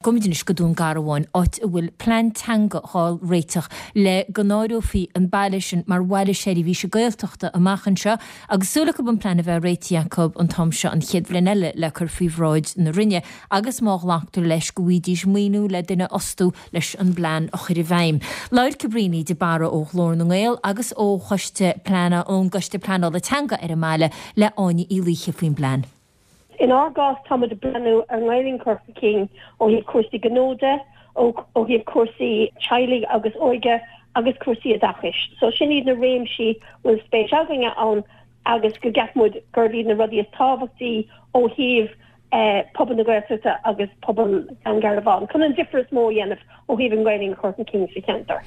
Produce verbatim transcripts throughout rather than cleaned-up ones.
Gabhaimid anois go Dún Garbhán, áit a bhfuil plean teanga á réiteach le go n-áireofaí an baile sin mar bhaile seirbhíse Gaeltachta amach anseo agus súil acu an plean a bheith réitithe acu an t-am seo an chéad bhliain eile le cur faoi bhráid na Roinne agus má ghlactar leis go bhfaighidís maoiniú le duine a fhostú leis an bplean a chur i bhfeidhm. Labhair Cabríona de Barra ó Ghlór na nGael agus ó Choiste Plean ón gCoiste Pleanála Teanga ar an mbaile le Áine Uí Laoithe faoin bplean. Inár gcás táimid ag breathnú ar an nGaelainn a chur chun cinn ó thaobh cúrsaí gnó de, ó thaobh cúrsaí teaghlaigh agus óige agus cúrsaí oideachais. So sin iad na réimsí a bhfuil spéis againne ann agus go gceapann muid gurb iad na rudaí is tábhachtaí ó thaobh pobal na Gaeltachta agus pobal Dhún Garbhán chun an difear is mó a dhéanamh ó thaobh an Ghaelainn a chur chun cinn sa cheantar.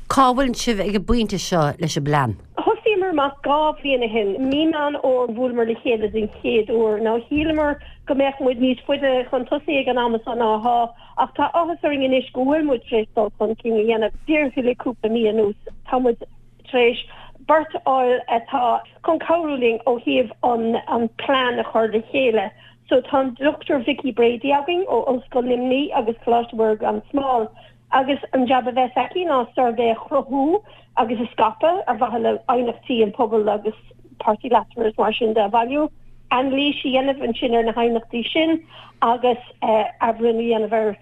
Cá bhfuil sibh ag an bpointe seo leis an bplean? Thosaíomar amach dhá bhliain ó shin, mí Meán Fhómhair bhuaileamar le chéile den chéad uair. Now shíleamar go mbeadh muid níos faide chun tosaigh ag an am seo ná atá, ach tá áthas orainn anois go bhfuil muid tar éis dul chun cinn a dhéanamh díreach le cúpla mí anuas. Tá muid tar éis beirt a fháil atá chun cabhrú linn ó thaobh an an plean a chur le chéile. So tá an Dr Vicky Brady againn ó Ollscoil Luimnigh agus Coláiste Mhuire gan Smál. Agus an jab a bheas aici ná suirbhé a chruthú agus a scaipeadh ar mhaithe le haighneachtaí an phobail agus páirtithe leasmhara is mar sin de a bhailiú, anailís a dhéanamh ansin ar na haighneachtaí sin agus athbhreithniú a dhéanamh ar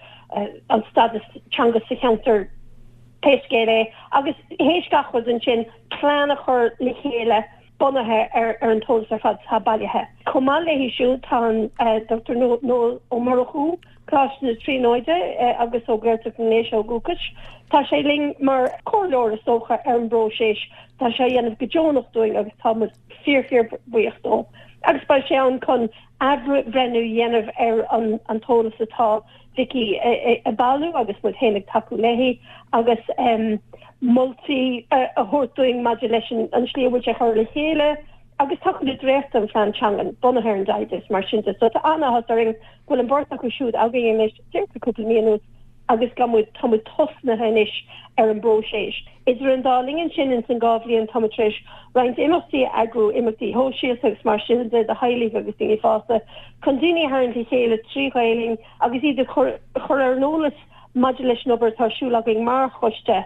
an stádas teanga sa cheantar pé scéal é. Agus théis gach rud ansin, plean a chur le chéile bunaithe ar an t-eolas ar fad atá bailithe. Chomh maith léi siúd tá an Dr Noel Ó Murchú, Coláiste na Tríonóide agus ó Ghaeltacht na nDéise ó dhúchas. Tá sé linn mar chomhairleoir is dócha ar an bpróiseas. Tá sé á dhéanamh go deonach dúinn agus tá muid fíor fíor buíoch dó. Agus beidh sé ann chun athbhreithniú a dhéanamh ar an t-eolas atá Vicky ag bailiú agus muid féin ag tacú léi agus moltaí a thabhairt dúinn maidir leis an slí a bhfuil sé curtha le chéile agus tacú le dréacht den phlean teangan bunaithe ar an dtaighde is mar sin de. So tá an-áthas orainn go bhfuil an bheirt acu siúd againn anois díreach le cúpla mí anuas agus go muid tá muid tosnaithe anois ar an bpróiseas. Idir an dá linn ansin ins an dhá bhliain tá muid tar éis roinnt imeachtaí a eagrú, imeachtaí shóisialta agus mar sin de do theaghlaigh agus daoine fásta chun daoine a tharraingt le chéile trí Ghaelainn agus iad a chur ar an eolas maidir leis an obair atá ar siúl againn mar choiste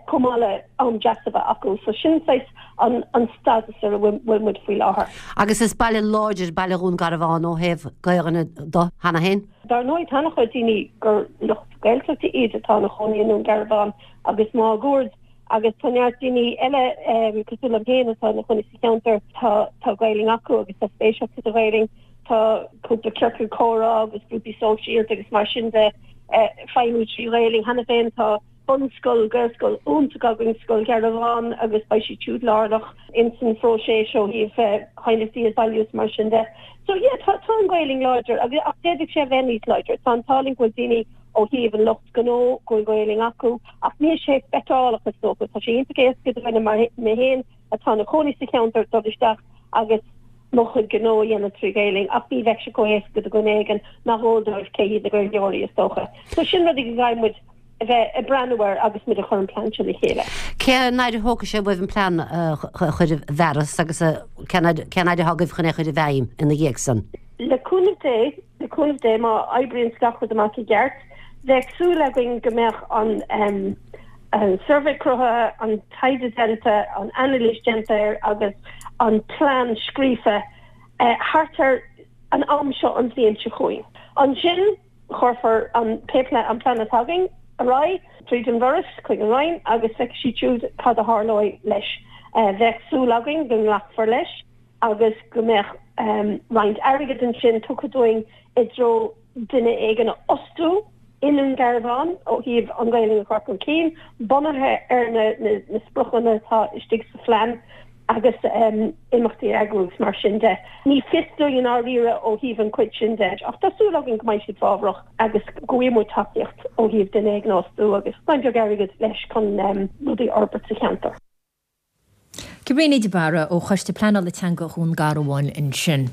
chomh maith le am deas a bheith acu. So sin saghas an an stádas ar a bhfuil muid faoi láthair. Agus is baile láidir baile Dhún Garbhán ó thaobh Gaelainne de cheana féin? Dar ndóigh tá an-chuid daoine gur lucht Gaeltachta iad atá ina chónaí i nDún Garbhán agus máguaird agus tá neart daoine eile cosúil liom féin atá ina chónaí sa cheantar tá tá Gaelainn acu agus tá spéis acu sa Ghaelainn. Tá cúpla ciorcal comhrá agus grúpaí sóisialta agus mar sin de ag feidhmiú trí Ghaelainn cheana féin. Tá bunscoil, Gaelscoil iontach againn, Scoil Gharbháin agus beidh siad siúd lárnach ins an phróiseas ó thaobh aighneachtaí a bhailiú is mar sin de. So yeah, tá tá an Ghaelainn láidir agus ach d'fhéadfadh sé a bheith níos láidre. Tá an t-ádh linn go bhfuil daoine ó thaobh an lucht gnó go bhfuil Gaelainn acu ach níl sé feiceálach is dócha. Tá sé iontach éasca do dhuine mar mé féin atá ina chónaí sa cheantar dul isteach agus mo chuid gnó a dhéanamh trí Ghaelainn ach ní bheadh sé chomh héasca do dhuine éigin nach eol dóibh cé hiad na Gaeilgeoirí is dócha. So sin rudaí go gcaithfidh muid a bheith ag breathnú air agus muid ag cur an plean seo le chéile. Cén fhad a thógfaidh sé uaibh an plean a chur i bhfearas agus cén fhad atá agaibh chun é a chur i bhfeidhm ina dhiaidh san? Le cúnamh Dé, le cúnamh Dé má oibríonn gach rud amach i gceart, bheadh súil againn go mbeadh an an suirbhé cruthaithe, an taighde déanta, an anailís déanta air agus an plean scríofa thart ar an am seo an bhliain seo chugainn. Ansin cuirfear an pé an plean atá againn ar aghaidh tríd an bhForas chuig an Roinn agus feicfidh siad siúd cad a tharlóidh leis. Bheadh súil againn go nglacfar leis agus go mbeadh roinnt airgid ansin tugtha dúinn i dtreo duine éigin a fhostú i nDún Garbhán ó thaobh an Ghaelainn a chur chun cinn, bunaithe ar na na spriocanna atá istigh sa phlean agus imeachtaí a eagrú agus mar sin de. Ní fios dúinn i ndáiríre ó thaobh an chuid sin de ach tá súil againn go mbeidh siad fábhrach agus go bhfaighidh muid tacaíocht ó thaobh duine éigin a fhostú agus roinnt beag airgid leis chun rudaí a fhorbairt sa cheantar. Cabríona de Barra ó Choiste Pleanála Teanga Dhún Garbhán ansin.